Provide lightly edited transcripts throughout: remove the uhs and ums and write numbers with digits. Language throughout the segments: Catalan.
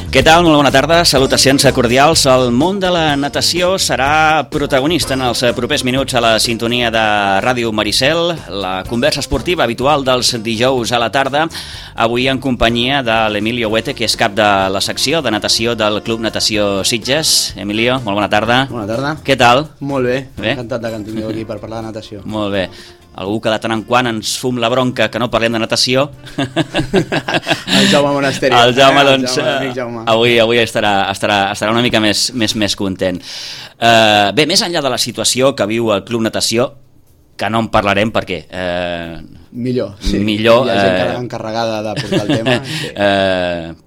Què tal? Molt bona tarda, salutacions cordials. El món de la natació serà protagonista en els propers minuts a la sintonia de Ràdio Maricel, la conversa esportiva habitual dels dijous a la tarda, avui en companyia de l'Emilio Huete, que és cap de la secció de natació del Club Natació Sitges. Emilio, molt bona tarda. Bona tarda. Què tal? Molt bé, Bé? encantat de que en tingueu aquí per parlar de natació. Molt bé. Algú que de tant en quant ens fum la bronca que no parlem de natació. El Jaume Monasteri. El Jaume, doncs, Jaume. avui estarà una mica més content. Bé, més enllà de la situació que viu el Club Natació, que no en parlarem perquè... Millor, sí. Millor, hi ha gent encarregada de portar el tema. Sí.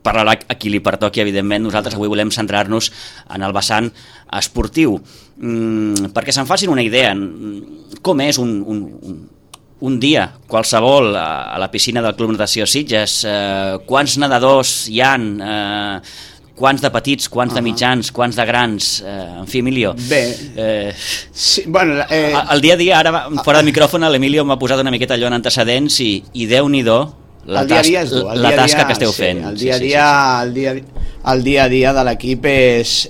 Parlarà a qui li pertoqui, evidentment. Nosaltres avui volem centrar-nos en el vessant esportiu. Perquè se'n facin una idea, com és un dia qualsevol a la piscina del Club Natació Sitges, quants nedadors hi han, quants de petits, quants de mitjans, quants de grans, en fi, Emilio. Bé, sí, bueno... El dia a dia, ara, fora de micròfon, l'Emilio m'ha posat una miqueta allò en antecedents i Déu-n'hi-do la tasca que esteu fent. El dia a dia de l'equip és,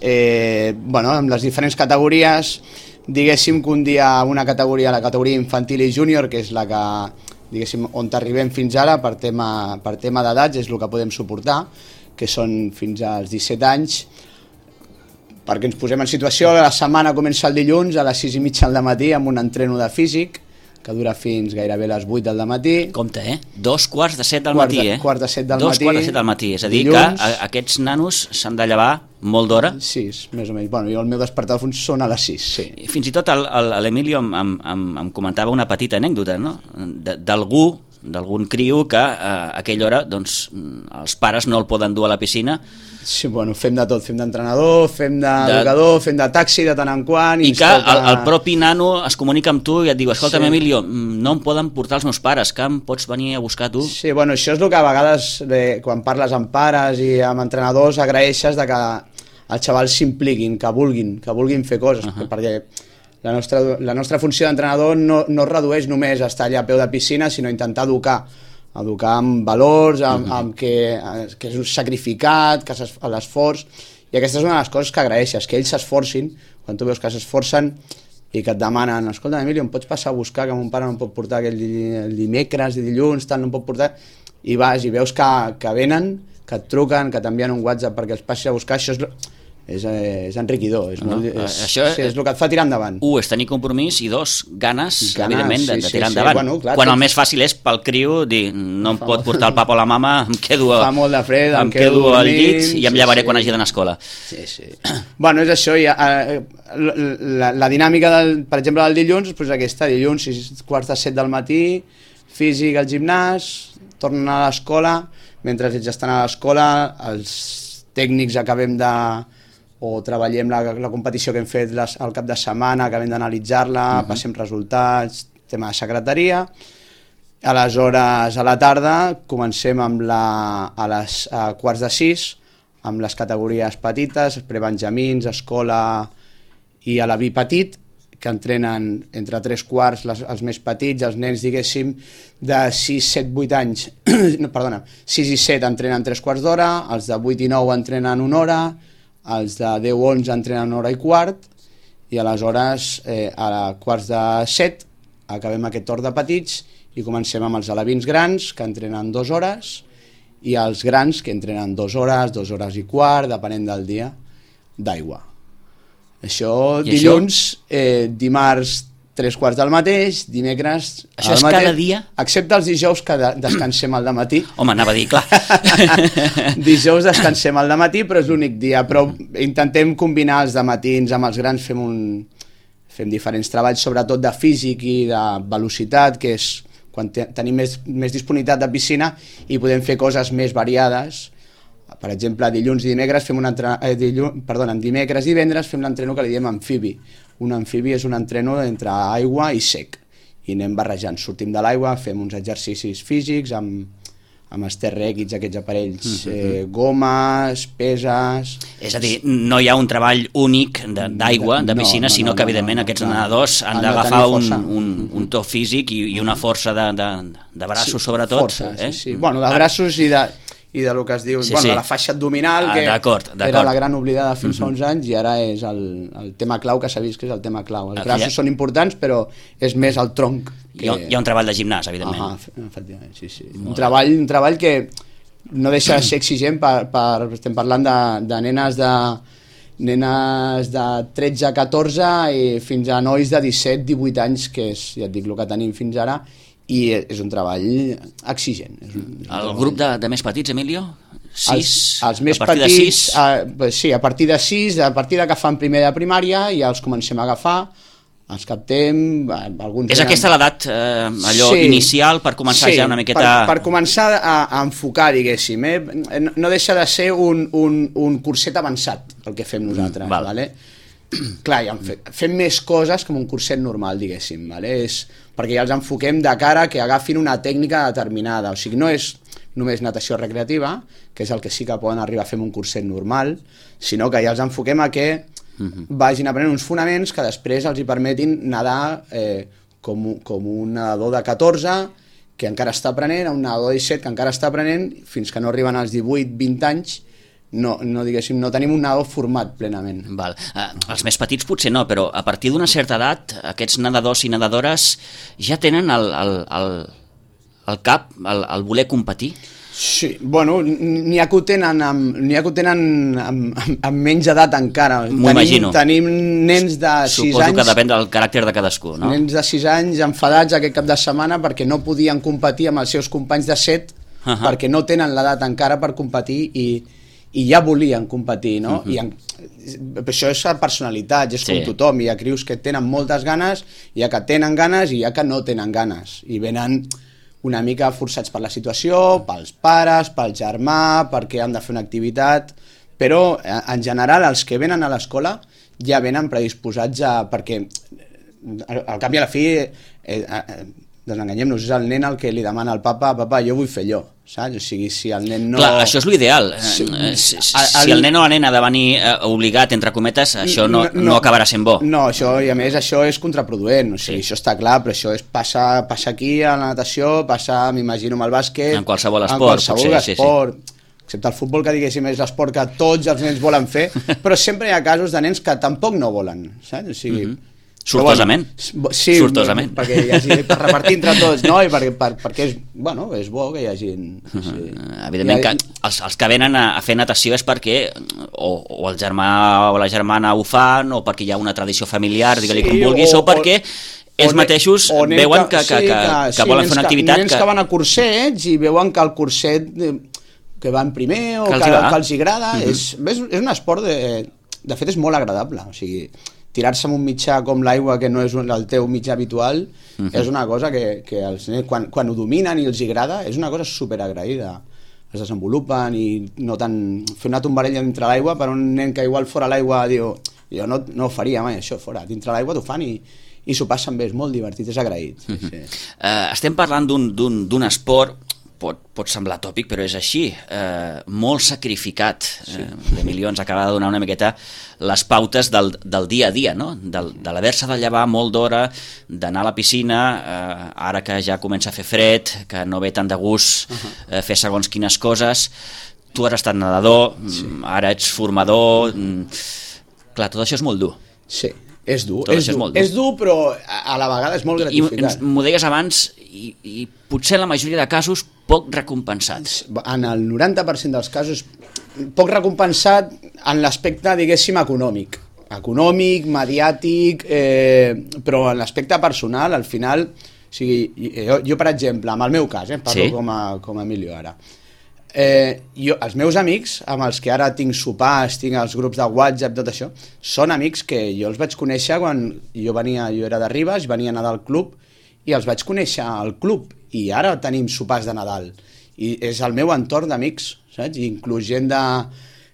bueno, amb les diferents categories, diguéssim que un dia una categoria, la categoria infantil i júnior, que és la que, diguéssim, on arribem fins ara per tema d'edats, és el que podem suportar, que són fins als 17 anys, perquè ens posem en situació, la setmana comença el dilluns a les 6:30 del matí amb un entreno de físic, que dura fins gairebé a les 8 del matí. Compte, 2:45 del matí, Quarts de set del matí. 2:45 del matí, és a dir, dilluns, que aquests nanos s'han de llevar molt d'hora. 6, més o menys. Bueno, jo el meu despertador són a les 6, sí. Fins i tot l'Emilio em comentava una petita anècdota, no? d'algun criu que a aquella hora doncs, els pares no el poden dur a la piscina. Sí, bueno, fem de tot, fem d'entrenador, fem d'educador, fem de taxi de tant en quant. I que el propi nano es comunica amb tu i et diu, escolta'm, sí, Emilio, no em poden portar els meus pares, que em pots venir a buscar tu? Sí, bueno, això és el que a vegades, quan parles amb pares i amb entrenadors, agraeixes de que els xavals s'impliquin, que vulguin fer coses, perquè la nostra funció d'entrenador no es redueix només a estar allà a peu de piscina, sinó intentar educar amb valors, amb que és un sacrificat, que l'esforç, i aquesta és una de les coses que agraeixes, que ells s'esforcin, quan tu veus que s'esforcen i que et demanen, escolta, Emilio, em pots passar a buscar, que mon pare no em pot portar el dimecres i dilluns, tal, no em pot portar, i vas i veus que venen, que et truquen, que t'envien un WhatsApp perquè els passi a buscar, això és enriquidor, és el que et fa tirar endavant. És tenir compromís, i dos, ganes evidentment, de tirar endavant. Bueno, clar, quan el més fàcil és pel criu dir, no em pot portar el papa o la mama, em quedo em quedo al llit i em llevaré quan hagi d'anar a escola. Sí. Bueno, és això, la dinàmica, per exemple, del dilluns, doncs aquesta, dilluns, 6:45 del matí, físic al gimnàs, tornen a l'escola, mentre ells estan a l'escola, els tècnics acabem o treballem la competició que hem fet al cap de setmana, acabem d'analitzar-la, passem resultats, tema de secretaria. Aleshores, a la tarda, comencem a 5:15, amb les categories petites, prebenjamins, escola i a la vi petit, que entrenen entre 3/4 els més petits, els nens, diguéssim, de 6, 7, 8 anys, 6 i 7 entrenen 3/4 d'hora, els de 8 i 9 entrenen 1 hora, els de 10 i 11 entrenen 1 hora i quart, i aleshores a 6:45 acabem aquest torn de petits i comencem amb els alevins grans, que entrenen 2 hores, i els grans, que entrenen 2 hores, 2 hores i quart, depenent del dia, d'aigua. Això dilluns, dimarts 3/4 del mateix, dimecres... Això és cada dia? Excepte els dijous, que descansem al dematí. Home, anava a dir, clar. Dijous descansem al dematí, però és l'únic dia. Però intentem combinar els dematins amb els grans, fem diferents treballs, sobretot de físic i de velocitat, que és quan tenim més disponibilitat de piscina i podem fer coses més variades. Per exemple, dilluns i dimecres dimecres i divendres fem l'entreno que li diem amfibi. Un amfibi és un entreno entre aigua i sec, i anem barrejant, sortim de l'aigua, fem uns exercicis físics amb els TRX, aquests aparells, gomes, peses... És a dir, no hi ha un treball únic d'aigua, de piscina, sinó que evidentment aquests nedadors han d'agafar un to físic i una força de braços, sobretot. Força, sí. Bueno, de braços i de lo que es diu, de la faixa abdominal, que era la gran oblidada fins fa uns anys, i ara és el tema clau que s'ha vist, que és el tema clau. Els braços són importants, però és més el tronc. Hi ha un treball de gimnàs, evidentment. Efectivament, sí. Un treball que no deixa de ser exigent, estem parlant de nenes de 13 a 14 i fins a nois de 17-18 anys, que és, ja et dic, el que tenim fins ara, i és un treball exigent. El grup de més petits, Emilio? 6? Els més petits, sí, a partir de 6, a partir que fan primer de primària, ja els comencem a agafar, els captem, alguns... És aquesta l'edat inicial per començar ja una miqueta... Per començar a enfocar, diguéssim. No deixa de ser un curset avançat, el que fem nosaltres. Vale? Clar, ja fem més coses com un curset normal, diguéssim. Vale? Perquè ja els enfoquem de cara que agafin una tècnica determinada. O sigui, no és només natació recreativa, que és el que sí que poden arribar a fer un curset normal, sinó que ja els enfoquem a que vagin aprenent uns fonaments que després els hi permetin nedar com un nedador de 14 que encara està aprenent, a un nedador de 17 que encara està aprenent, fins que no arriben als 18-20 anys, no tenim un nedador format plenament. Val. Els més petits potser no, però a partir d'una certa edat aquests nedadors i nedadores ja tenen el cap, el voler competir? Sí, bueno, n'hi ha que ho tenen amb menys edat encara. M'ho imagino. Tenim nens de 6 anys... Suposo que depèn del caràcter de cadascú, no? Nens de 6 anys enfadats aquest cap de setmana perquè no podien competir amb els seus companys de 7 perquè no tenen l'edat encara per competir i ja volien competir, no? I això és personalitat, és com tothom. Hi ha crios que tenen moltes ganes, hi ha que tenen ganes i hi ha que no tenen ganes. I venen una mica forçats per la situació, pels pares, pel germà, perquè han de fer una activitat, però en general els que venen a l'escola ja venen predisposats perquè al cap i a la fi desenganyem-nos, és el nen el que li demana al papa, jo vull fer allò, saps? O sigui, si el nen no... Clar, això és l'ideal. Si el nen o la nena ha de venir obligat, entre cometes, això no acabarà sent bo. No, això, i a més això és contraproduent, o sigui, això està clar, però això passa aquí a la natació, passa, m'imagino, amb el bàsquet... En qualsevol esport, esport, excepte el futbol, que diguéssim és l'esport que tots els nens volen fer, però sempre hi ha casos de nens que tampoc no volen, saps? O sigui... Sortosament. Sí, sortosament. Perquè hi hagi, per repartir entre tots, no? I perquè és bo que hi hagi... Sí. Evidentment que els que venen a fer natació és perquè o el germà o la germana ho fan, o perquè hi ha una tradició familiar, digue-li com vulguis, o perquè ells mateixos veuen que volen fer una activitat... Nens que van a cursets i veuen que el curset que van primer o que els agrada, és un esport, de fet és molt agradable, o sigui... tirar-se en un mitjà com l'aigua, que no és el teu mitjà habitual, és una cosa que els nens, quan ho dominen i els agrada, és una cosa superagraïda. Es desenvolupen i no tant... Fer una tombarella dintre l'aigua per un nen que igual fora l'aigua diu, jo no ho faria mai, això, fora. Dintre l'aigua t'ho fan i s'ho passen bé, és molt divertit, és agraït. Sí. Estem parlant d'un esport, pot semblar tòpic, però és així, molt sacrificat. L'Emilio ens acaba de donar una miqueta les pautes del dia a dia, no? De l'haver-se de llevar molt d'hora, d'anar a la piscina, ara que ja comença a fer fred, que no ve tant de gust fer segons quines coses. Tu has estat nedador, ara ets formador... Clar, tot això és molt dur. Sí. És dur, però a la vegada és molt gratificant. I m'ho deies abans, i potser en la majoria de casos poc recompensats. En el 90% dels casos poc recompensat en l'aspecte, diguéssim, econòmic, mediàtic, però en l'aspecte personal, al final, o sigui, jo per exemple, en el meu cas, parlo com a Emilio ara, els meus amics amb els que ara tinc sopars, tinc els grups de WhatsApp, tot això, són amics que jo els vaig conèixer quan jo era de Ribes, venia a nedar al club i els vaig conèixer al club i ara tenim sopars de Nadal i és el meu entorn d'amics, saps? Inclús gent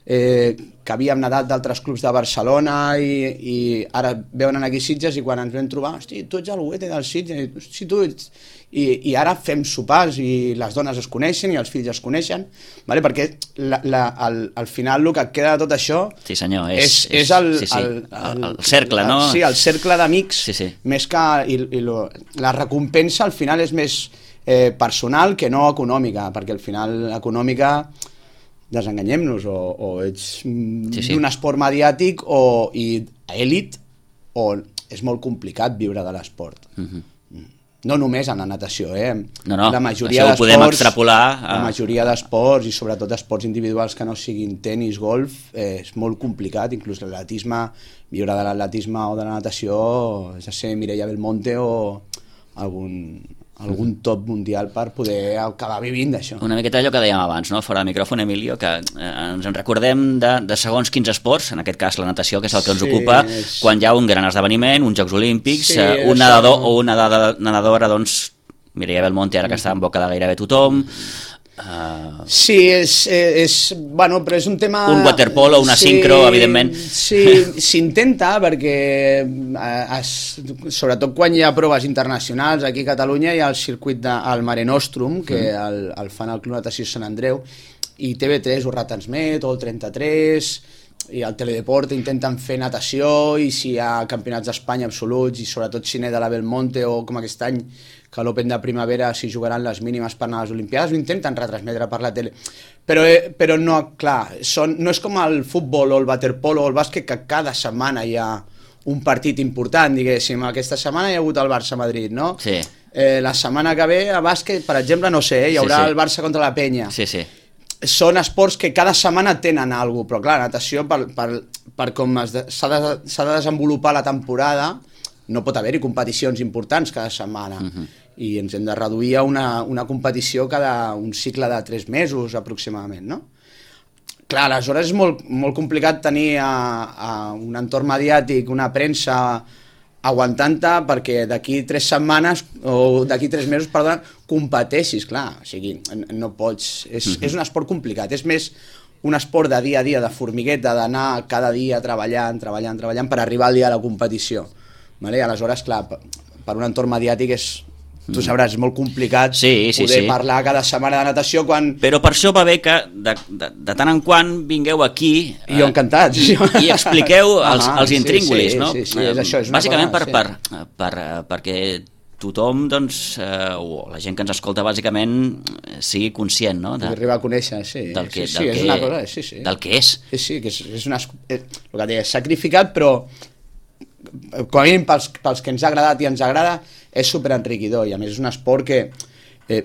que havíem nedat d'altres clubs de Barcelona i ara veuen aquí Sitges i quan ens vam trobar, hosti, tu ets el Huete del Sitges, hosti, tu ets... I ara fem sopars i les dones es coneixen i els fills es coneixen, vale? Perquè al final el que et queda de tot això és el cercle, no? Sí, el cercle d'amics, més que la recompensa al final és més personal que no econòmica, perquè al final econòmica desenganyem-nos, o ets d'un esport mediàtic i èlit, o és molt complicat viure de l'esport. No només en la natació, la majoria això ho podem extrapolar. La majoria d'esports, i sobretot esports individuals que no siguin tenis, golf, és molt complicat, inclús l'atletisme, viure de l'atletisme o de la natació, és a ser Mireia Belmonte o algun top mundial per poder acabar vivint d'això. Una miqueta allò que dèiem abans, no? Fora de micròfon, Emilio, que ens en recordem de segons quins esports, en aquest cas la natació, que és el que ens ocupa, quan hi ha un gran esdeveniment, uns Jocs Olímpics, un nedador o una nedadora, doncs, Mireia Belmonte, ara que està en boca de gairebé tothom. Sí, bueno, però és un tema... Un waterpolo, una sincro, evidentment. Sí, s'intenta perquè sobretot quan hi ha proves internacionals, aquí a Catalunya hi ha el circuit del Mare Nostrum, que el fan al Club Natació Sant Andreu, i TV3 ho retransmet, o el 33, i al Teledeport intenten fer natació, i si hi ha campionats d'Espanya absoluts, i sobretot si n'hi de la Belmonte, o com aquest any, que a l'Open de primavera s'hi jugaran les mínimes per anar a les Olimpiades, ho intenten retransmetre per la tele. Però no, clar, no és com el futbol o el waterpolo o el bàsquet, que cada setmana hi ha un partit important, diguéssim. Aquesta setmana hi ha hagut el Barça-Madrid, no? Sí. La setmana que ve a bàsquet, per exemple, no sé, hi haurà el Barça contra la Penya. Sí, sí. Són esports que cada setmana tenen alguna cosa, però clar, natació, per com s'ha de desenvolupar la temporada, no pot haver-hi competicions importants cada setmana, i ens hem de reduir a una competició cada un cicle de 3 mesos aproximadament, no? Clar, aleshores és molt complicat tenir un entorn mediàtic, una premsa aguantant-te perquè d'aquí 3 setmanes o d'aquí 3 mesos, perdona, competeixis, clar, o sigui, no pots, és un esport complicat, és més un esport de dia a dia, de formigueta, d'anar cada dia treballant per arribar al dia de la competició. Vale? Aleshores, clar, per un entorn mediàtic tu sabràs, és molt complicat poder parlar cada setmana de natació quan... Però per això va bé que de tant en quant vingueu aquí i jo encantat i expliqueu els intríngulis, no? Sí, és això, és una bàsicament perquè tothom, doncs, o la gent que ens escolta bàsicament sigui conscient, no? Arribar a conèixer, del que és. Sí, que és el que deia, sacrificat, però com a mínim pels que ens ha agradat i ens agrada, és superenriquidor, i a més és un esport que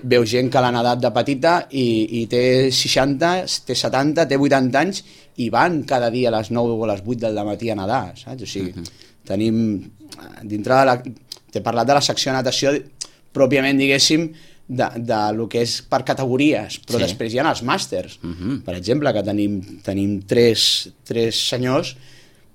veu gent que l'ha nedat de petita i té 60, té 70, té 80 anys i van cada dia a les 9 o a les 8 del matí a nedar, saps? O sigui, tenim dintre de t'he parlat de la secció de natació pròpiament, diguéssim, de lo que és per categories, però després hi ha els màsters, per exemple, que tenim tres senyors,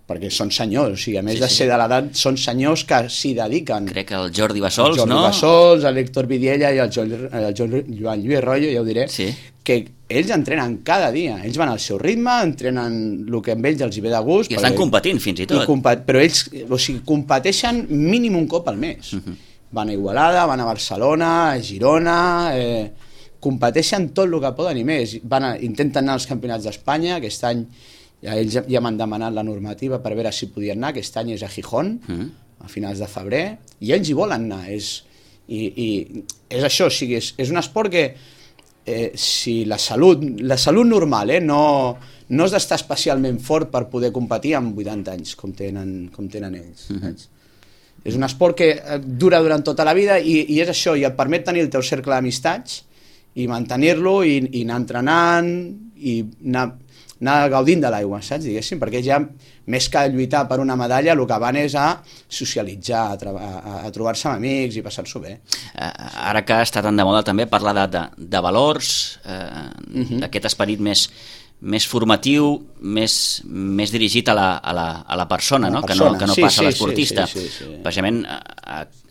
perquè són senyors, o sigui, a més de ser de l'edat, són senyors que s'hi dediquen. Crec que el Jordi Bassols, no? El Jordi Bassols, l'Héctor Vidiella i el Joan Lluís Royo, ja ho diré, que ells entrenen cada dia, ells van al seu ritme, entrenen el que amb ells els hi ve de gust. I estan competint, fins i tot. Però ells, o sigui, competeixen mínim un cop al mes. Van a Igualada, van a Barcelona, a Girona, competeixen tot el que poden i més. Intenten anar als campionats d'Espanya, aquest any ells ja m'han demanat la normativa per veure si podien anar, aquest any és a Gijón, a finals de febrer, i ells hi volen anar. I és això, o sigui, és un esport que si la salut normal, no has d'estar especialment fort per poder competir amb 80 anys, com tenen ells. És un esport que dura durant tota la vida i és això, i et permet tenir el teu cercle d'amistats i mantenir-lo i anar entrenant i anar gaudint de l'aigua, saps, diguéssim, perquè ja més que lluitar per una medalla el que van és a socialitzar, a trobar-se amb amics i passar-s'ho bé. Ara que està tan de moda també parlar de valors, d'aquest esperit més formatiu, més dirigit a la persona, no? Que no passa a l'esportista. Precisament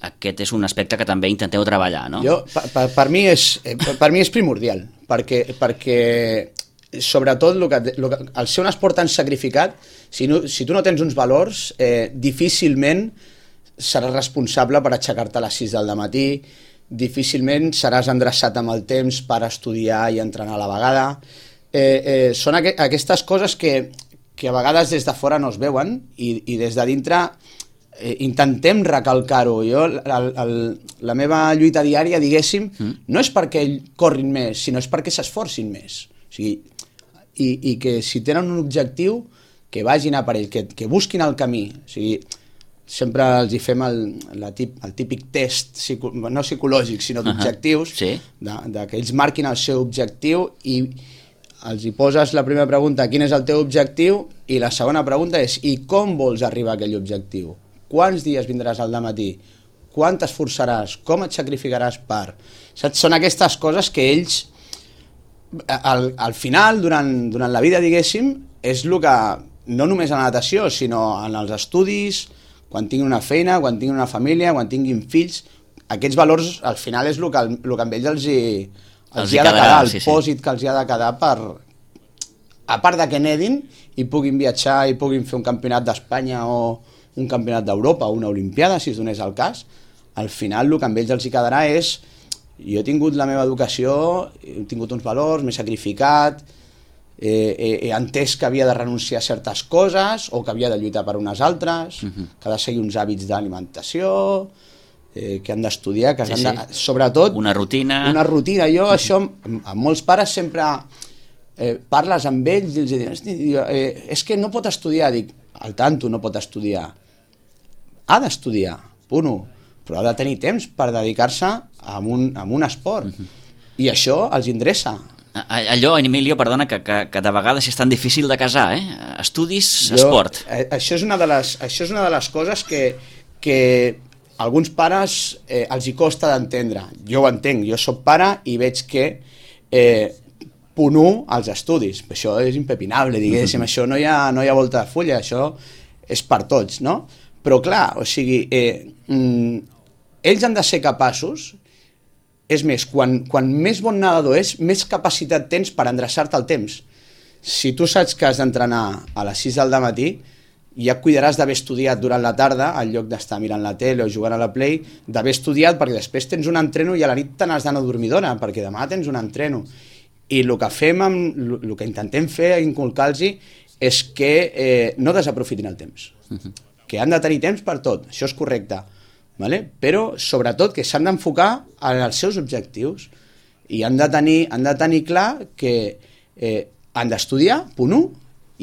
aquest és un aspecte que també intenteu treballar, no? Per mi és primordial, perquè sobretot al ser un esport tan sacrificat, si tu no tens uns valors, difícilment seràs responsable per aixecar-te a les 6 del matí, difícilment seràs endreçat amb el temps per estudiar i entrenar a la vegada. Són aquestes coses que a vegades des de fora no es veuen i des de dintre intentem recalcar-ho. La meva lluita diària, diguéssim, no és perquè corrin més, sinó és perquè s'esforcin més. O sigui, i que si tenen un objectiu que vagin a per ell, que busquin el camí. O sigui, sempre els hi fem el típic test, no psicològic, sinó d'objectius, que ells marquin el seu objectiu i els hi poses la primera pregunta, quin és el teu objectiu, i la segona pregunta és, i com vols arribar a aquell objectiu? Quants dies vindràs al dematí? Quant t'esforçaràs? Com et sacrificaràs per? Saps? Són aquestes coses que ells, al final, durant la vida, diguéssim, és el que, no només a la natació, sinó en els estudis, quan tinguin una feina, quan tinguin una família, quan tinguin fills, aquests valors al final és el que amb ells els hi ha de quedar, el pòsit que els hi ha de quedar per, a part de que nedin i puguin viatjar i puguin fer un campionat d'Espanya o un campionat d'Europa o una olimpiada, si es donés el cas, al final el que amb ells els hi quedarà és jo he tingut la meva educació, he tingut uns valors, m'he sacrificat, he entès que havia de renunciar a certes coses o que havia de lluitar per unes altres, que ha de seguir uns hàbits d'alimentació, que han d'estudiar, que han de, sobretot... Una rutina. Jo això, amb molts pares sempre parles amb ells i els dius, és que no pot estudiar, dic, al tanto no pot estudiar. Ha d'estudiar, punt 1, però ha de tenir temps per dedicar-se a un esport. I això els indreça. Allò, Emilio, perdona, que de vegades és tan difícil de casar, estudis, esport. Això és una de les coses que alguns pares els hi costa d'entendre. Jo ho entenc, jo soc pare i veig que punt 1 als estudis. Això és impepinable, diguéssim, això no hi ha volta de fulla, això és per tots, no? Però clar, o sigui, ells han de ser capaços. És més, quan més bon nedador és, més capacitat tens per endreçar-te el temps. Si tu saps que has d'entrenar a les 6 del matí, ja cuidaràs d'haver estudiat durant la tarda, en lloc d'estar mirant la tele o jugant a la Play, d'haver estudiat perquè després tens un entreno i a la nit te n'has d'anar a dormir d'hora, perquè demà tens un entreno. I el que fem, el que intentem fer, inculcar-los, és que no desaprofitin el temps. Que han de tenir temps per tot, això és correcte. Vale? Però sobretot que s'han d'enfocar en els seus objectius i han de tenir clar que han d'estudiar, punt 1,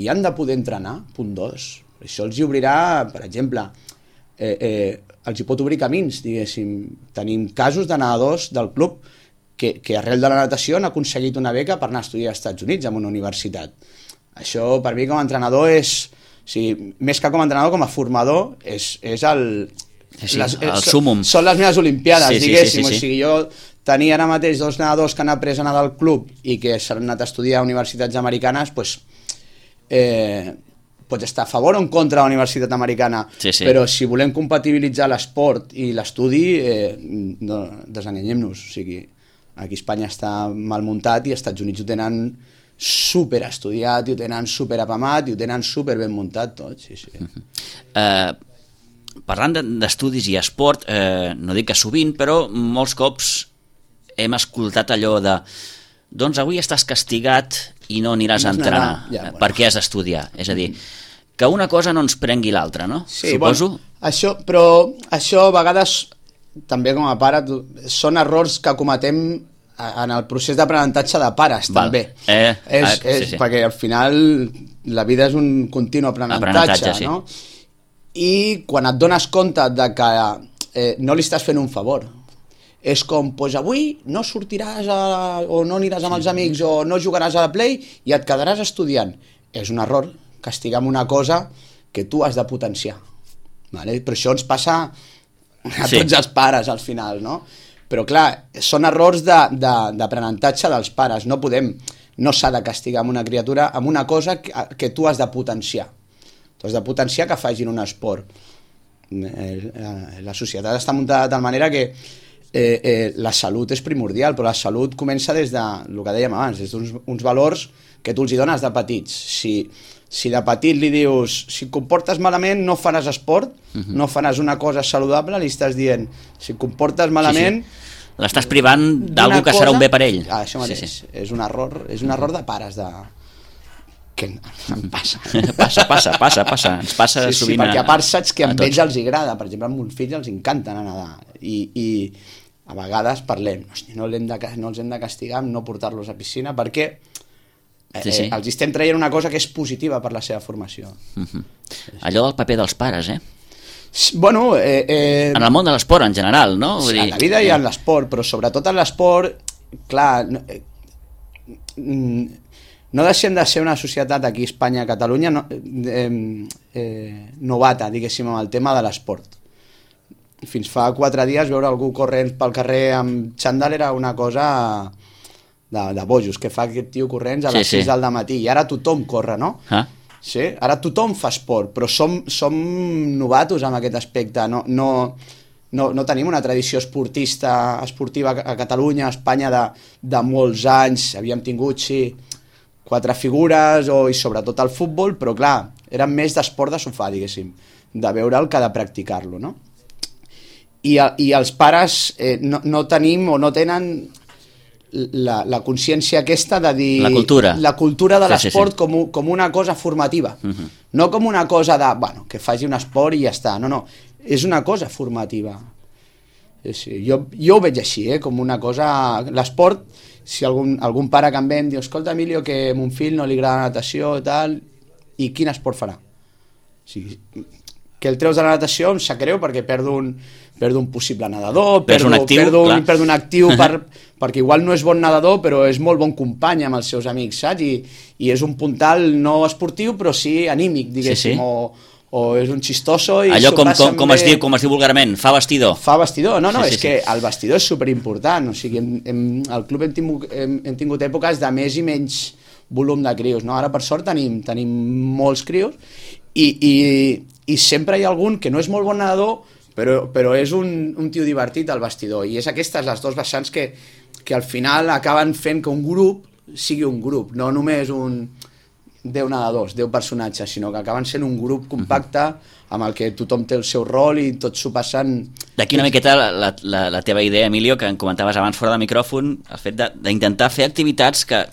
i han de poder entrenar, punt 2. Això els hi obrirà, per exemple, els hi pot obrir camins, diguéssim. Tenim casos de nedadors del club que arrel de la natació han aconseguit una beca per anar a estudiar als Estats Units en una universitat. Això per mi com a entrenador és, o sigui, més que com a entrenador, com a formador, és el súmum. Són les meves olimpiades, diguéssim. Sí. O sigui, jo tenia ara mateix 2 nedadors que han après a nedar al club i que s'han anat a estudiar a universitats americanes, doncs pots estar a favor o en contra de la universitat americana, però si volem compatibilitzar l'esport i l'estudi, no, desenganyem-nos. O sigui, aquí a Espanya està mal muntat i als Estats Units ho tenen super estudiat, i ho tenen super apamat i ho tenen super ben muntat tot. Parlant d'estudis i esport, no dic que sovint, però molts cops hem escoltat allò de doncs avui estàs castigat i no aniràs a entrenar perquè has d'estudiar. És a dir, que una cosa no ens prengui l'altra, no? Sí, suposo. Bueno, però això a vegades, també com a pare, són errors que cometem en el procés d'aprenentatge de pares, també. Perquè al final la vida és un continu aprenentatge, no? I quan et dones compte de que no li estàs fent un favor, és com, doncs avui no sortiràs o no aniràs amb els amics o no jugaràs a la Play i et quedaràs estudiant. És un error, castigar amb una cosa que tu has de potenciar. Vale? Però això ens passa a tots els pares al final, no? Però clar, són errors d'aprenentatge dels pares. No s'ha de castigar amb una criatura amb una cosa que tu has de potenciar. Tu has de potenciar que facin un esport. La societat està muntada de tal manera que la salut és primordial, però la salut comença des de, el que dèiem abans, des d'uns valors que tu els hi dones de petits. Si de petit li dius, si et comportes malament no faràs esport, no faràs una cosa saludable, li estàs dient, si et comportes malament... L'estàs privant d'algú que serà un bé per ell. Això mateix, és un error de pares, que em passa. Passa. Ens passa sovint. Sí, perquè a part saps que a ells els agrada. Per exemple, a uns fills els encanta anar a nedar. I a vegades parlem, no els hem de castigar amb no portar-los a piscina, perquè Sí. Els estem traient una cosa que és positiva per la seva formació. Allò del paper dels pares, Bueno... en el món de l'esport en general, no? Sí, en la vida i en l'esport, però sobretot en l'esport, clar, no deixem de ser una societat aquí a Espanya, a Catalunya, novata, diguéssim, amb el tema de l'esport. Fins fa 4 dies veure algú corrent pel carrer amb xandall era una cosa de bojos, que fa aquest tio corrents a les 6 del matí, i ara tothom corre, no? Sí, ara tothom fa esport, però som novatos en aquest aspecte, no tenim una tradició esportiva a Catalunya, a Espanya de molts anys, havíem tingut, sí, 4 figures i sobretot el futbol, però clar, eren més d'esport de sofà, diguéssim, de veure'l que de practicar-lo, no? I els pares no tenim o no tenen la consciència aquesta de dir... La cultura de l'esport com una cosa formativa. No com una cosa de, bueno, que faci un esport i ja està. No, és una cosa formativa. Jo ho veig així, com una cosa... L'esport, si algun pare que em ve em diu, escolta, Emilio, que a mon fill no li agrada la natació i tal, i quin esport farà? O sigui, que el treus de la natació em sap greu perquè perdo un possible nedador, perdo un actiu perquè igual no és bon nedador però és molt bon company amb els seus amics, saps? I és un puntal no esportiu però sí anímic, diguéssim, o és un xistoso i allò com es diu vulgarment, fa vestidor. És que el vestidor és superimportant, o sigui, al club hem tingut èpoques de més i menys volum de crios, no? Ara per sort tenim molts crios i sempre hi ha algun que no és molt bon nedador però és un tio divertit al vestidor, i és aquestes les dos vessants que al final acaben fent que un grup sigui un grup, no només 10 nedadors, 10 personatges, sinó que acaben sent un grup compacte amb el que tothom té el seu rol i tots s'ho passen... D'aquí una miqueta la teva idea, Emilio, que em comentaves abans fora del micròfon, el fet d'intentar fer activitats que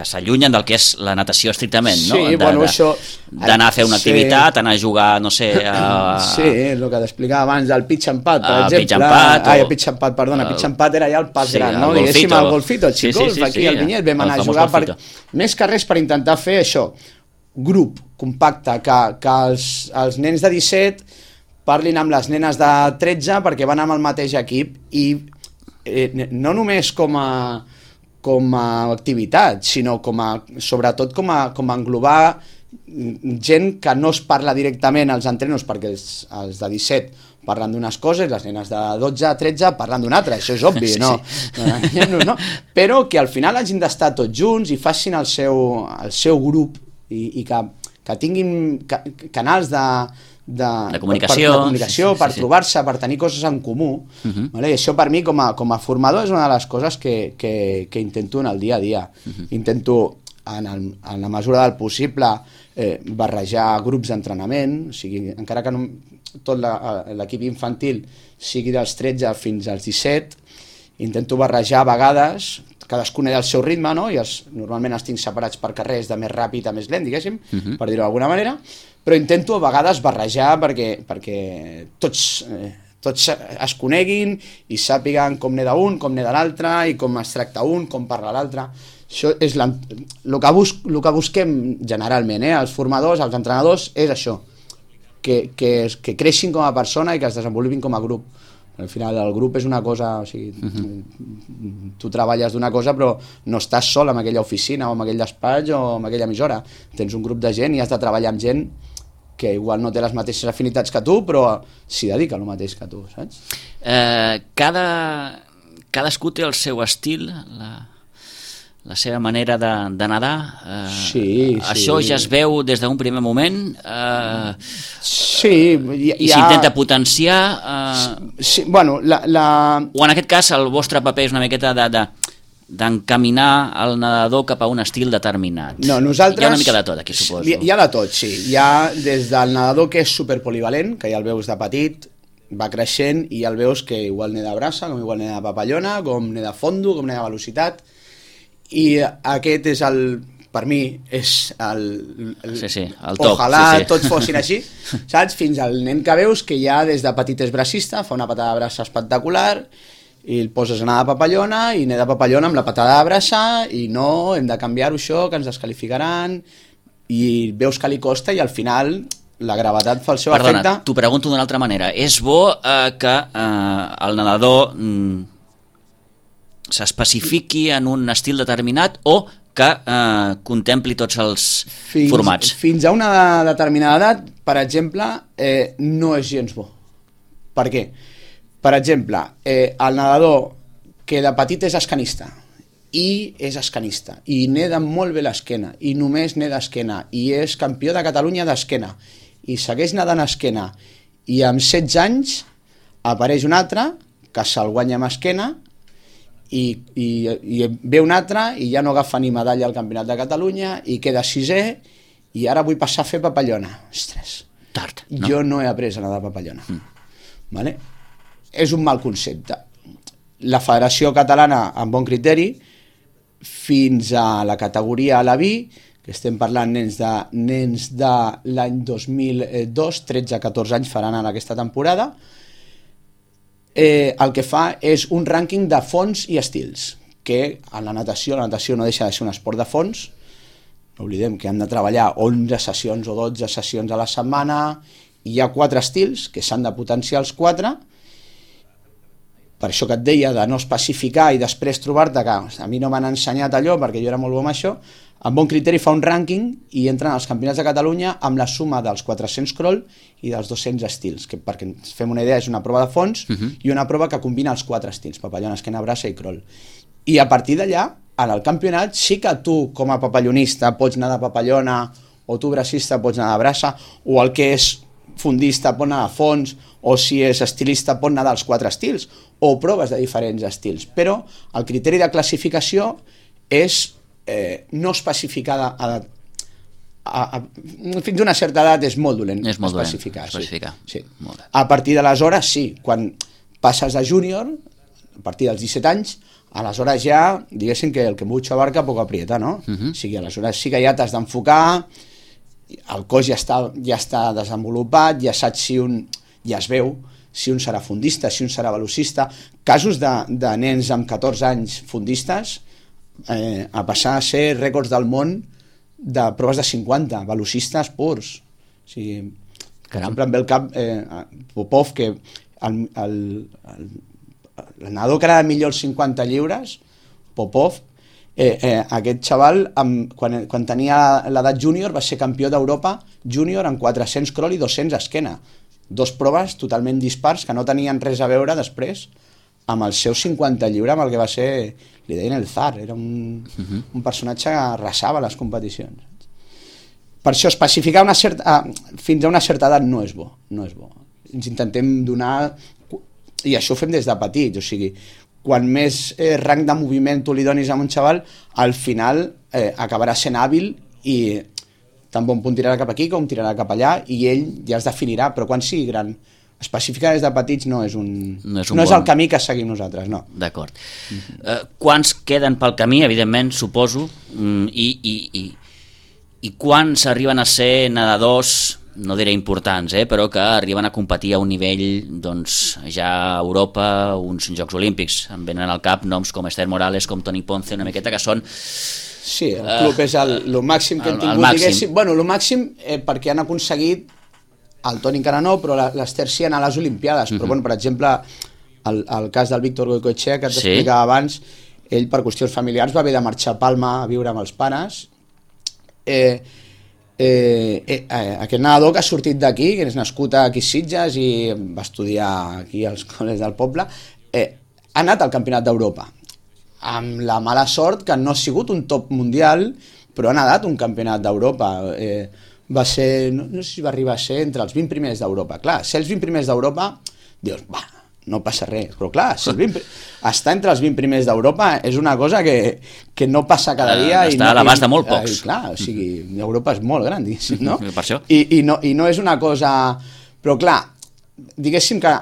s'allunyen del que és la natació estrictament, no? Sí, això... D'anar a fer una activitat, anar a jugar, no sé... Sí, el que t'explicava abans del pitch and pad, per exemple. Pitch and pad, perdona, pitch and pad era ja el pas gran, no? Diguéssim, el golfito, el xic-golf, aquí al Vinyet, vam anar a jugar més que res per intentar fer això, grup compacte, que els nens de 17 parlin amb les nenes de 13 perquè van amb el mateix equip, i no només com a activitat, sinó sobretot com a englobar gent que no es parla directament als entrenos, perquè els de 17 parlen d'unes coses, les nenes de 12 a 13 parlen d'una altra, això és obvi, no? Però que al final hagin d'estar tots junts i facin el seu grup i que tinguin canals de comunicació per trobar-se, per tenir coses en comú, i això per mi com a formador és una de les coses que intento en el dia a dia. Intento en la mesura del possible barrejar grups d'entrenament, o sigui, encara que tot l'equip infantil sigui dels 13 fins als 17, intento barrejar a vegades, cadascun té el seu ritme, no? I normalment els tinc separats per carrers de més ràpid a més lent, diguéssim, per dir-ho d'alguna manera, però intento a vegades barrejar perquè tots es coneguin i sàpiguen com neda un, com neda l'altre, i com es tracta un, com parla l'altre. Això és el que busquem generalment, els formadors, els entrenadors, és això, que creixin com a persona i que es desenvolupin com a grup. Al final el grup és una cosa, o sigui, tu treballes d'una cosa però no estàs sol en aquella oficina o en aquell despatx o en aquella emissora, tens un grup de gent i has de treballar amb gent que igual no té les mateixes afinitats que tu però s'hi dedica el mateix que tu, saps? Cadascú té el seu estil, la seva manera de nedar. Sí. Això ja es veu des d'un primer moment. Sí. I s'intenta potenciar. Sí, bueno, o en aquest cas el vostre paper és una miqueta d'encaminar el nedador cap a un estil determinat. No, nosaltres... Hi ha una mica de tot aquí, suposo. Hi ha de tot, sí. Hi ha des del nedador que és superpolivalent, que ja el veus de petit, va creixent i ja el veus que igual neda braça, com igual neda papallona, com neda fondo, com neda velocitat, i aquest és per mi és el top. Ojalà tots fossin així, saps? Fins al nen que veus que ja des de petit és bracista, fa una patada de braç espectacular i el poses a anar de papallona i anar de papallona amb la patada de braça i no, hem de canviar-ho això, que ens descalificaran, i veus que li costa i al final la gravetat fa el seu efecte. Perdona, t'ho pregunto d'una altra manera. És bo que el nedador s'especifiqui en un estil determinat o que contempli tots els formats? Fins a una determinada edat, per exemple, no és gens bo. Per què? Per exemple, el nedador que de petit és escanista i neda molt bé l'esquena i només neda esquena i és campió de Catalunya d'esquena i segueix nedant esquena i amb 16 anys apareix un altre que se'l guanya amb esquena i ve un altre i ja no agafa ni medalla al Campionat de Catalunya i queda sisè i ara vull passar a fer papallona. Ostres, tard, no? Jo no he après a nedar papallona. Vale? És un mal concepte. La Federació Catalana, amb bon criteri, fins a la categoria a la vi, que estem parlant nens de l'any 2002, 13-14 anys faran en aquesta temporada, el que fa és un rànquing de fons i estils, que en la natació no deixa de ser un esport de fons, no oblidem que hem de treballar 11 sessions o 12 sessions a la setmana, i hi ha 4 estils, que s'han de potenciar els 4, per això que et deia de no especificar i després trobar-te que a mi no m'han ensenyat allò perquè jo era molt bo amb això, amb bon criteri fa un rànquing i entren als Campionats de Catalunya amb la suma dels 400 crawl i dels 200 estils, que perquè ens fem una idea és una prova de fons i una prova que combina els 4 estils, papallona, esquena, braça i crawl. I a partir d'allà, en el campionat, sí que tu com a papallonista pots anar de papallona o tu bracista pots anar de braça o el que és fondista pot anar de fons o si és estilista pot anar dels 4 estils o proves de diferents estils, però el criteri de classificació és no especificada fins a una certa edat és molt dolent especificar. Sí. A partir d'aleshores sí, quan passes a júnior a partir dels 17 anys aleshores ja, diguéssim que el que mucho abarca poco aprieta, no? O sigui, aleshores sí que ja t'has d'enfocar, el cos ja està desenvolupat, ja saps ja es veu si un serà fondista, si un serà velocista. Casos de nens amb 14 anys fondistes a passar a ser rècords del món de proves de 50, velocistes purs. O sigui, per exemple, em ve el cap Popov, que el nedador que era millor els 50 lliures, Popov, aquest xaval quan tenia l'edat júnior va ser campió d'Europa júnior en 400 crawl i 200 esquena, 2 proves totalment dispars que no tenien res a veure després amb el seu 50 lliure, amb el que va ser, li deien el Zar, era un personatge que arrasava les competicions. Per això especificar fins a una certa edat no és bo, ens intentem donar, i això ho fem des de petits, o sigui, quan més rang de moviment tu li donis a un xaval, al final acabarà sent hàbil i tant bon punt tirarà cap aquí com tirarà cap allà i ell ja es definirà, però quan sigui gran especificar des de petits no és el camí que seguim nosaltres, no. D'acord. Quants queden pel camí, evidentment, suposo, i quants arriben a ser nedadors, no diré importants, però que arriben a competir a un nivell, doncs, ja a Europa, uns Jocs Olímpics. Em venen al cap noms com Esther Morales, com Toni Ponce, una miqueta, que són... Sí, el club és el màxim que hem tingut, diguéssim. Bueno, el màxim perquè han aconseguit, el Toni encara no, però l'Esther sí anar a les Olimpiades, però, bueno, per exemple, el cas del Víctor Goicoechea, que t'explicava abans, ell per qüestions familiars va haver de marxar a Palma a viure amb els pares. Aquest nedador que ha sortit d'aquí, que és nascut aquí a Sitges i va estudiar aquí als col·legis del poble, ha anat al Campionat d'Europa amb la mala sort que no ha sigut un top mundial, però ha nedat un Campionat d'Europa. Va ser, no sé si va arribar a ser entre els 20 primers d'Europa. Clar, ser els 20 primers d'Europa, dius, no passa res, però clar, estar entre els 20 primers d'Europa és una cosa que no passa cada dia. Està a l'abast de molt pocs. Clar, o sigui, Europa és molt gran, diguéssim, no? Per això. I no és una cosa... Però clar, diguéssim que,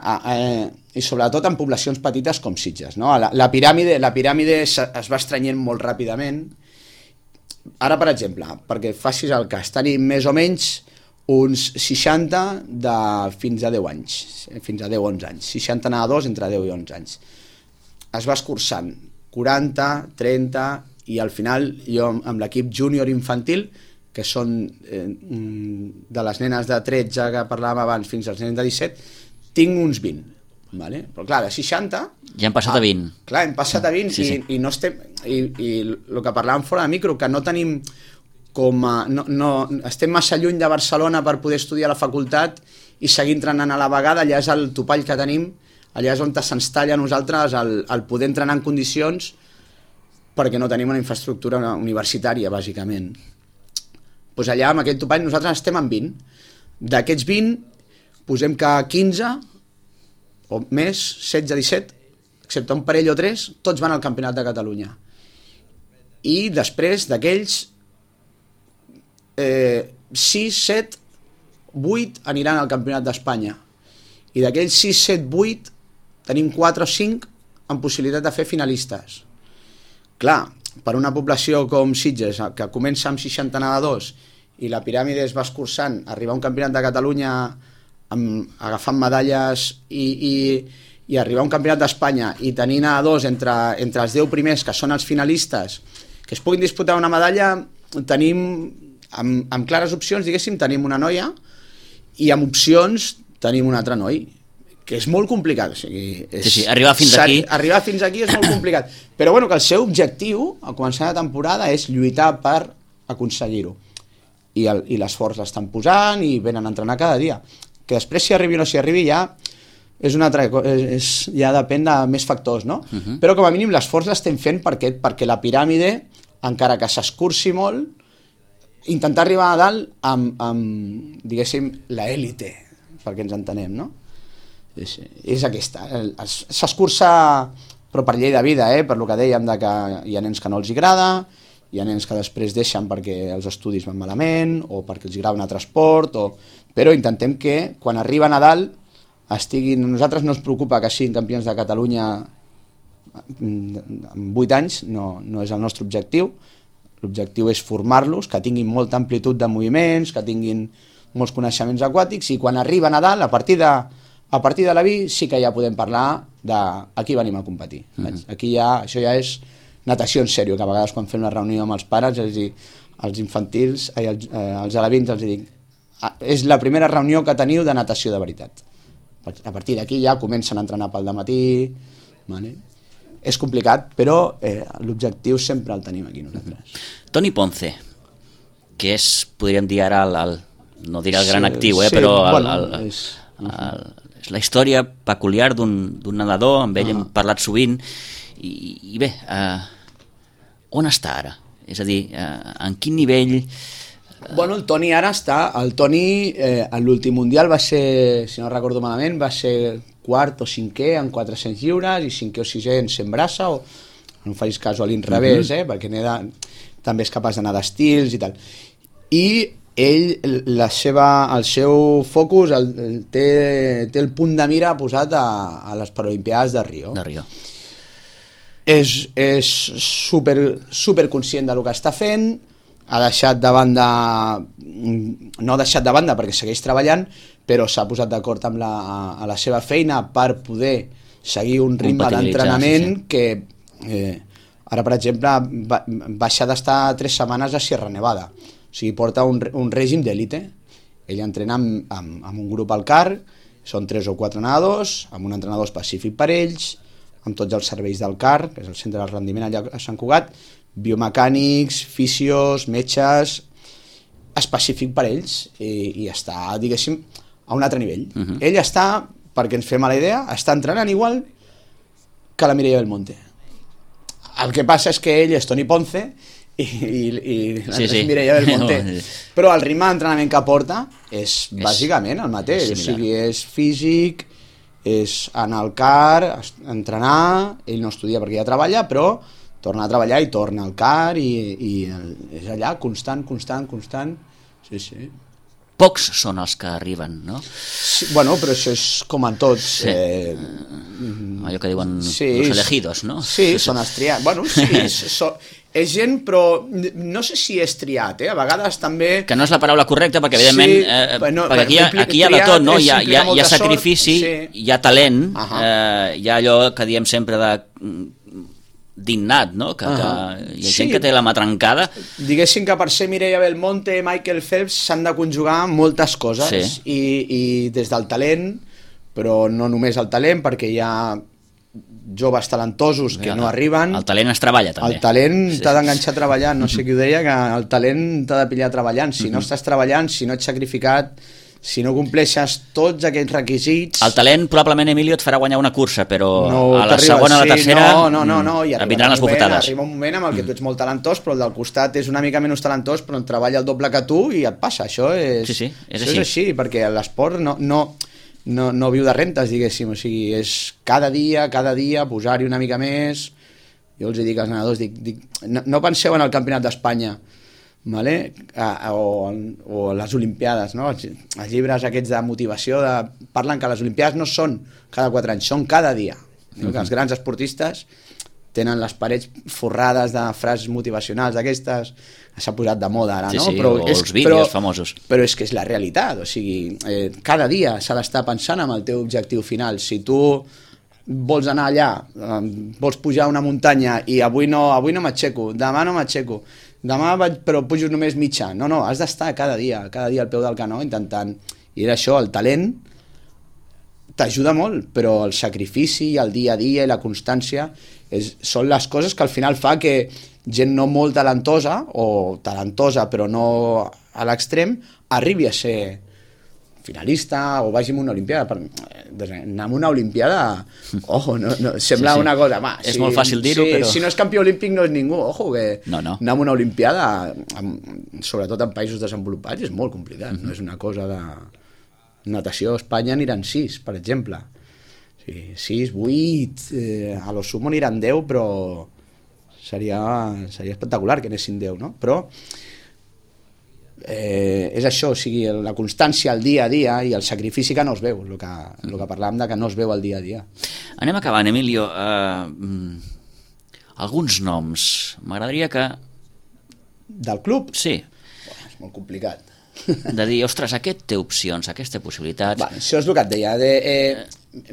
i sobretot en poblacions petites com Sitges, no? La piràmide es va estrenyent molt ràpidament. Ara, per exemple, perquè facis el cas, tenim més o menys uns 60 fins a 10 anys, fins a 10-11 anys, 60 nedadors entre 10 i 11 anys. es va escurçant 40, 30 i al final jo amb l'equip júnior infantil, que són de les nenes de 13 que parlàvem abans fins als nens de 17, tinc uns 20. Vale? Però clar, de 60 ja hem passat a 20. Clar, hem passat a 20 sí. I no estem, i el que parlàvem fora de micro, que no tenim estem massa lluny de Barcelona per poder estudiar a la facultat i seguir entrenant a la vegada. Allà és el topall que tenim, allà és on se'ns talla a nosaltres el poder entrenar en condicions, perquè no tenim una infraestructura universitària, bàsicament. Pues allà, amb aquest topall, nosaltres estem en 20. D'aquests 20, posem que 15 o més, 16, 17, excepte un parell o 3, tots van al Campionat de Catalunya. I després d'aquells 6, 7, 8 aniran al Campionat d'Espanya. I d'aquells 6, 7, 8 tenim 4 o 5 amb possibilitat de fer finalistes. Clar, per una població com Sitges, que comença amb 60 nedadors i la piràmide es va escurçant, arribar a un Campionat de Catalunya agafant medalles i arribar a un Campionat d'Espanya i tenir nedadors entre els 10 primers, que són els finalistes, que es puguin disputar una medalla, tenim amb clares opcions, diguéssim, tenim una noia i amb opcions tenim un altre noi, que és molt complicat. O sigui, sí, arribar fins aquí és molt complicat. Però bueno, que el seu objectiu al començar la temporada és lluitar per aconseguir-ho. I l'esforç l'estan posant i venen a entrenar cada dia. Que després si arribi o no si arribi ja és una altra cosa, ja depèn de més factors, no? Però com a mínim l'esforç l'estem fent perquè la piràmide, encara que s'escurci molt, intentar arribar a dalt amb diguéssim, l'élite, perquè ens entenem, no? És aquesta. S'escurça, però per llei de vida, per lo que dèiem, que hi ha nens que no els agrada, hi ha nens que després deixen perquè els estudis van malament o perquè els agrada un altre esport, però intentem que quan arriben a dalt estiguin... A nosaltres no ens preocupa que siguin campions de Catalunya en 8 anys, no és el nostre objectiu. L'objectiu és formar-los, que tinguin molta amplitud de moviments, que tinguin molts coneixements aquàtics, i quan arriben a dalt, a partir de la vi, sí que ja podem parlar d'aquí venim a competir. Aquí això ja és natació en sèrio, que a vegades quan fem una reunió amb els pares, els infantils, els alevins, els dic, és la primera reunió que teniu de natació de veritat. A partir d'aquí ja comencen a entrenar pel dematí, vale? És complicat, però l'objectiu sempre el tenim aquí nosaltres. Toni Ponce, que és, podríem dir ara, no diré el gran actiu, però és la història peculiar d'un nedador, amb ell hem parlat sovint, i bé, on està ara? És a dir, en quin nivell... Bueno, el Toni ara està... El Toni, en l'últim mundial va ser, si no recordo malament, va ser quart o cinquè en 400 lliures i cinquè o sisè en 100 braça, o no em facis cas a l'inrevés, perquè també és capaç d'anar d'estils i tal. I ell, el seu focus té el punt de mira posat a les Paralimpiades de Rio. És super conscient del que està fent, ha deixat de banda, no ha deixat de banda perquè segueix treballant, però s'ha posat d'acord amb a la seva feina per poder seguir un ritme d'entrenament que ara, per exemple, va deixar d'estar 3 setmanes a Sierra Nevada. O sigui, porta un règim d'élite. Ell entrena amb un grup al CAR, són 3 o 4 nedadors, amb un entrenador específic per ells, amb tots els serveis del CAR, que és el centre de rendiment allà a Sant Cugat, biomecànics, fisios, metges, específic per ells, i està, diguéssim, a un altre nivell. Ell està, perquè ens fem a la idea, està entrenant igual que la Mireia Belmonte. El que passa és que ell és Toni Ponce i és Mireia Belmonte, però el ritme d'entrenament que porta és bàsicament el mateix, o sigui, és físic, és anar al CAR, entrenar, ell no estudia perquè ja treballa, però torna a treballar i torna al CAR i és allà constant. Sí. Pocs són els que arriben, no? Sí, bueno, però això és com en tots. Sí. Allò que diuen los elegidos, no? Sí, són els triats. Bueno, sí, És gent, però no sé si és triat, a vegades també... Que no és la paraula correcta, perquè evidentment perquè aquí hi ha de tot, no? Hi ha sacrifici, hi ha talent, hi ha allò que diem sempre d'innat, no? Que hi ha gent que té la mà trencada. Diguéssim que per ser Mireia Belmonte, Michael Phelps, s'han de conjugar moltes coses, i des del talent, però no només el talent, perquè hi ha joves talentosos que no arriben. El talent es treballa també. El talent t'ha d'enganxar treballant, no sé qui ho deia, que el talent t'ha de pillar treballant. Si no estàs treballant, si no ets sacrificat, si no compleixes tots aquests requisits... El talent probablement, Emilio, et farà guanyar una cursa, però a la segona o la tercera et vindran les bufetades. Arriba un moment amb el que tu ets molt talentós, però el del costat és una mica menys talentós, però en treballa el doble que tu i et passa. Això és així, perquè l'esport no viu de rentes, diguéssim, o sigui, és cada dia posar-hi una mica més. Jo els dic als nedadors, no penseu en el Campionat d'Espanya, vale? o les Olimpiades, no? Els llibres aquests de motivació parlen que les Olimpiades no són cada 4 anys, són cada dia. Que els grans esportistes tenen les parets forrades de frases motivacionals d'aquestes, s'ha posat de moda ara, no? Però els vídeos famosos. Però és que és la realitat, o sigui, cada dia s'ha d'estar pensant en el teu objectiu final. Si tu vols anar allà, vols pujar una muntanya i avui no m'aixeco, demà no m'aixeco, però pujo només mitjà. No, has d'estar cada dia al peu del canó intentant. I era això, el talent t'ajuda molt, però el sacrifici, el dia a dia i la constància són les coses que al final fa que gent no molt talentosa, o talentosa però no a l'extrem, arribi a ser finalista o vagi a una olimpiada. Anar a una olimpiada, sembla una cosa... És molt fàcil dir-ho, però... Si no és campió olímpic no és ningú, que anar a una olimpiada, sobretot en països desenvolupats, és molt complicat, no és una cosa de... Natació a Espanya aniran 6, per exemple. 6, 8, a lo sumo aniran 10, però seria espectacular que anessin 10, no? Però és això, o sigui, la constància, el dia a dia i el sacrifici que no es veu, el que parlàvem de que no es veu el dia a dia. Anem acabant, Emilio. Alguns noms. M'agradaria que... Del club? Sí. És molt complicat. De dir, ostres, aquest té opcions, aquesta possibilitats... Això és el que et deia.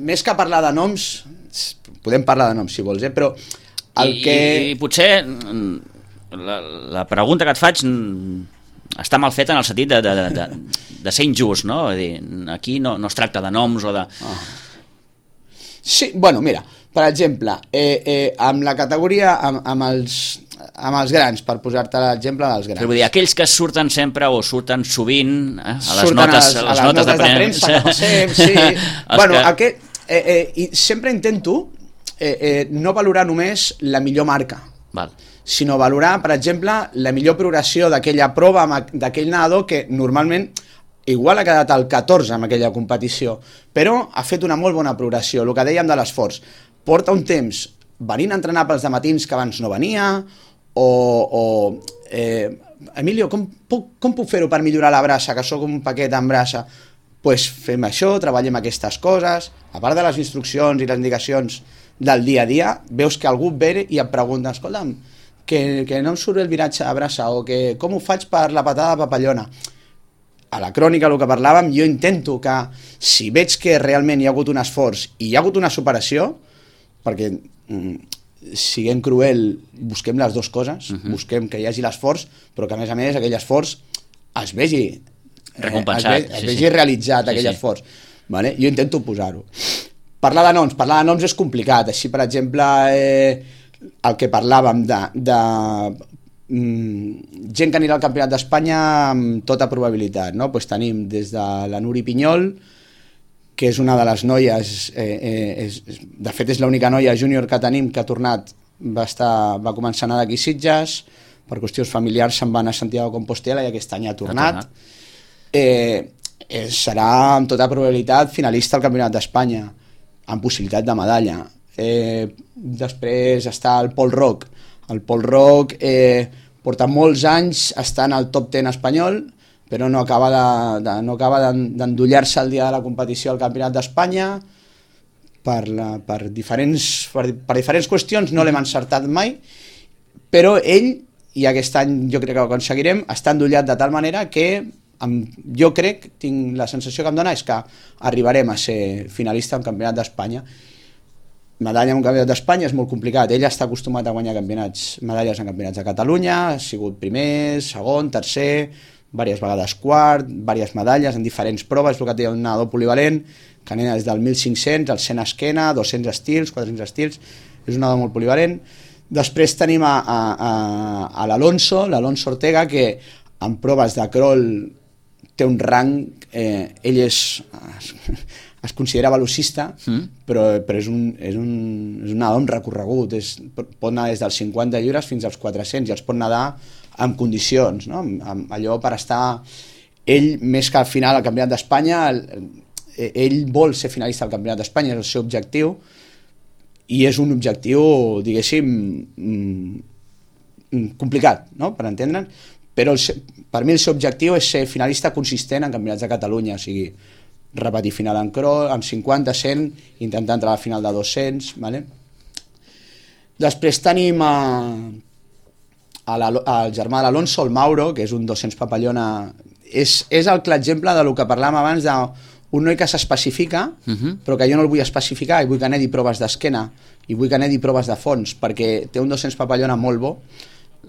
Més que parlar de noms, podem parlar de noms si vols, però I potser la pregunta que et faig està mal feta en el sentit de ser injust, no? Dir, aquí no es tracta de noms o de... Sí, bueno, mira, per exemple, amb la categoria, amb els grans, per posar-te l'exemple dels grans. Vull dir, aquells que surten sempre o surten sovint a les notes de premsa. Sí. Bueno, i sempre intento no valorar només la millor marca, sinó valorar, per exemple, la millor progressió d'aquella prova, d'aquell nedador que normalment igual ha quedat al 14 en aquella competició, però ha fet una molt bona progressió. El que dèiem de l'esforç, porta un temps venint a entrenar pels dematins que abans no venia, Emilio, com puc fer-ho per millorar la braça, que sóc un paquet amb braça? Doncs fem això, treballem aquestes coses, a part de les instruccions i les indicacions del dia a dia, veus que algú ve i et pregunta, escolta'm, que no em surt el viratge de braça, o que com ho faig per la patada de papallona? A la crònica, el que parlàvem, jo intento que si veig que realment hi ha hagut un esforç i hi ha hagut una superació, perquè siguem cruel, busquem les dues coses, busquem que hi hagi l'esforç, però que a més aquell esforç es vegi recompensat, es vegi realitzat, aquell esforç. Vale? Jo intento posar-ho. Parlar de noms és complicat. Així, per exemple, el que parlàvem de gent que anirà al Campionat d'Espanya amb tota probabilitat, no? Pues tenim des de la Nuri Pinyol, que és una de les noies, de fet és l'única noia júnior que tenim que ha tornat, va començar a anar d'aquí Sitges, per qüestions familiars se'n va anar a Santiago de Compostela i aquest any ha tornat. Serà amb tota probabilitat finalista al Campionat d'Espanya, amb possibilitat de medalla. Després està el Pol Roc. El Pol Roc porta molts anys estant al top 10 espanyol, però no acaba d'endollar-se el dia de la competició al Campionat d'Espanya per diferents qüestions, no l'hem encertat mai, però ell, i aquest any jo crec que ho aconseguirem, està endollat de tal manera que jo crec, tinc la sensació que em dona és que arribarem a ser finalista en Campionat d'Espanya. Medalla en un Campionat d'Espanya és molt complicat, ell està acostumat a guanyar medalles en campionats de Catalunya, ha sigut primer, segon, tercer, diverses vegades quart, diverses medalles en diferents proves, és el que té un nadador polivalent, que anava des del 1.500, al 100 esquena, 200 estils, 400 estils, és un nadador molt polivalent. Després tenim a l'Alonso Ortega, que en proves de crawl té un rang, ell es considera velocista, però és un nadador amb recorregut, pot anar des dels 50 lliures fins als 400 i els pot nedar en condicions, no? Allò per estar ell, més que al final al Campionat d'Espanya, ell vol ser finalista al Campionat d'Espanya, és el seu objectiu, i és un objectiu, diguéssim, complicat, no?, per entendre'n, però per mi el seu objectiu és ser finalista consistent en campionats de Catalunya, o sigui, repetir final en crawl, en 50, 100, intentar entrar a la final de 200, ¿vale? Després tenim el germà de l'Alonso, el Mauro, que és un 200 papallona, és el clar exemple del que parlàvem abans d'un noi que s'especifica, però que jo no el vull especificar i vull que anedi proves d'esquena i vull que anedi proves de fons, perquè té un 200 papallona molt bo.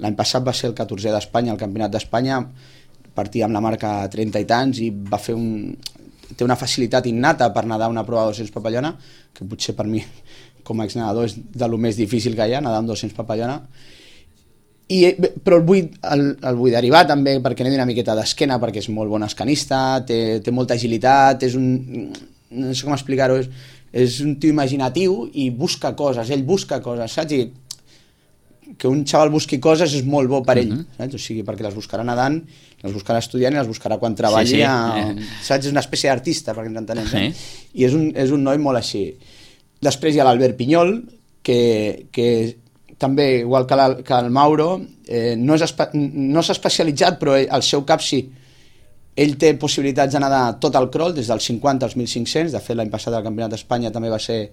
L'any passat va ser el 14è d'Espanya, al Campionat d'Espanya, partia amb la marca 30 i tants i va fer té una facilitat innata per nedar una prova de 200 papallona, que potser per mi com a exnedador és de lo més difícil que hi ha, nedar amb 200 papallona. Però el vull derivar també perquè anedi una miqueta d'esquena, perquè és molt bon escanista, té molta agilitat, no sé com explicar-ho, és un tio imaginatiu i busca coses, ell busca coses, saps? I que un xaval busqui coses és molt bo per ell, saps? O sigui, perquè les buscarà nedant, les buscarà estudiant i les buscarà quan treballi, saps? És una espècie d'artista, perquè ens entenem, i és un noi molt així. Després hi ha l'Albert Pinyol, que també, igual que el Mauro, no s'ha especialitzat, però al seu cap sí. Ell té possibilitats de nedar tot el crawl, des dels 50 als 1.500, de fet l'any passat al Campionat d'Espanya també va ser,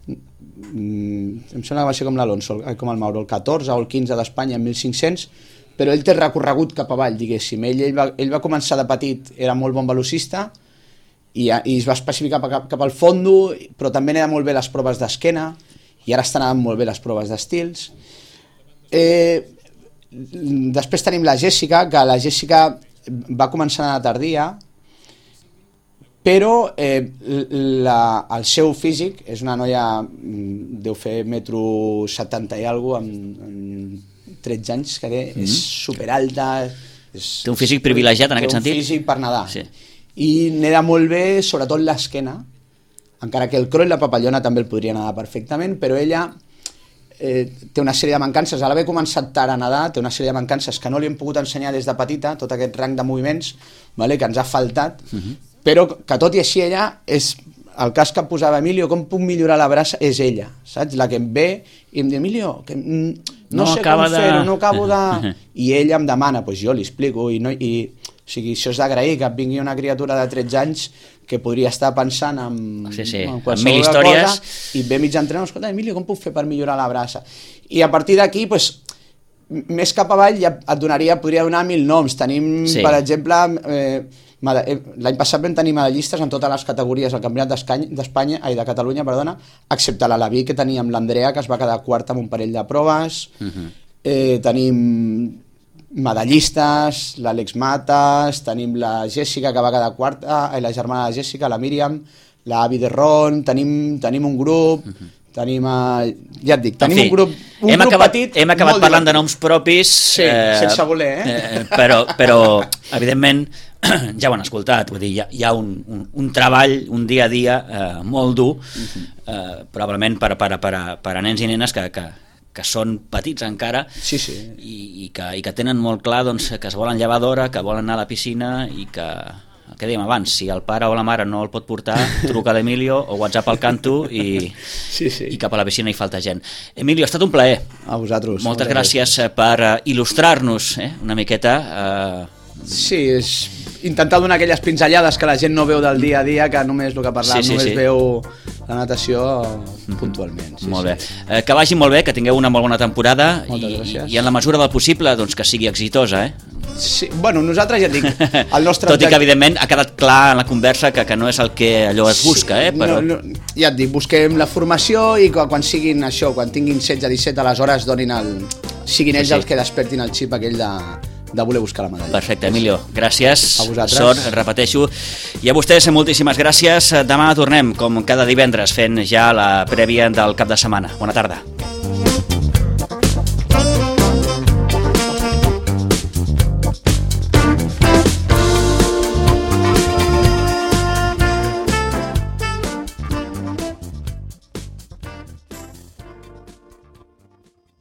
em sembla que va ser com l'Alonso, com el Mauro, el 14 o el 15 d'Espanya en 1.500, però ell té recorregut cap avall, diguéssim. Ell va començar de petit, era molt bon velocista, i es va especificar cap al fondo, però també anava molt bé les proves d'esquena, i ara estan anant molt bé les proves d'estils. Després tenim la Jèssica, que la Jèssica va començar a tardia, però el seu físic és una noia, deu fer 1,70 m i alguna cosa, amb 13 anys que té, és superalta. Té un físic privilegiat en aquest sentit? Té un físic per nedar. Sí. I neda molt bé, sobretot l'esquena, encara que el crawl i la papallona també el podria nedar perfectament, però ella té una sèrie de mancances, a l'haver començat tard a nedar, té una sèrie de mancances que no li hem pogut ensenyar des de petita, tot aquest rang de moviments, vale, que ens ha faltat, però que tot i així ella és el cas que posava Emilio, com puc millorar la braça, és ella, saps? La que em ve i em diu, Emilio, que no sé com fer-ho, no acabo de... I ella em demana, doncs jo li explico, o sigui, això és d'agrair, que vingui una criatura de 13 anys que podria estar pensant en qualsevol cosa i ve mig entrenador, escolta, Emilio, com puc fer per millorar la braça? I a partir d'aquí, més cap avall ja podria donar 1000 noms. Tenim, per exemple, l'any passat vam tenir medallistes en totes les categories al Campionat de Catalunya, excepte l'Alaví, que teníem l'Andrea, que es va quedar quarta amb un parell de proves. Tenim medallistes, l'Àlex Matas, tenim la Jèssica, que va quedar quarta, la germana de Jèssica, la Míriam, l'Avi de Ron, tenim un grup, tenim, ja et dic, tenim un grup petit. Hem acabat parlant de noms propis, sense voler, però evidentment ja ho han escoltat, vull dir, hi ha un treball, un dia a dia molt dur, probablement per a nens i nenes que són petits encara i que tenen molt clar que es volen llevar d'hora, que volen anar a la piscina i que, el que dèiem abans, si el pare o la mare no el pot portar, truca a l'Emilio o WhatsApp al canto i cap a la piscina hi falta gent. Emilio, ha estat un plaer. A vosaltres. Moltes gràcies per il·lustrar-nos una miqueta. Sí, intentar donar aquelles pinzellades que la gent no veu del dia a dia, que només el que parlàvem, només veu la natació puntualment. Molt bé. Que vagi molt bé, que tingueu una molt bona temporada i en la mesura del possible doncs, que sigui exitosa, Sí, bueno, nosaltres ja et dic, el nostre tot i que evidentment ha quedat clar en la conversa que no és el que allò es busca, però... Ja et dic, busquem la formació i quan siguin això, quan tinguin 16-17 aleshores siguin ells els que despertin el xip aquell de voler buscar la medalla. Perfecte, Emilio, gràcies. A vosaltres. Sort, repeteixo. I a vostès, moltíssimes gràcies. Demà tornem, com cada divendres, fent ja la prèvia del cap de setmana. Bona tarda.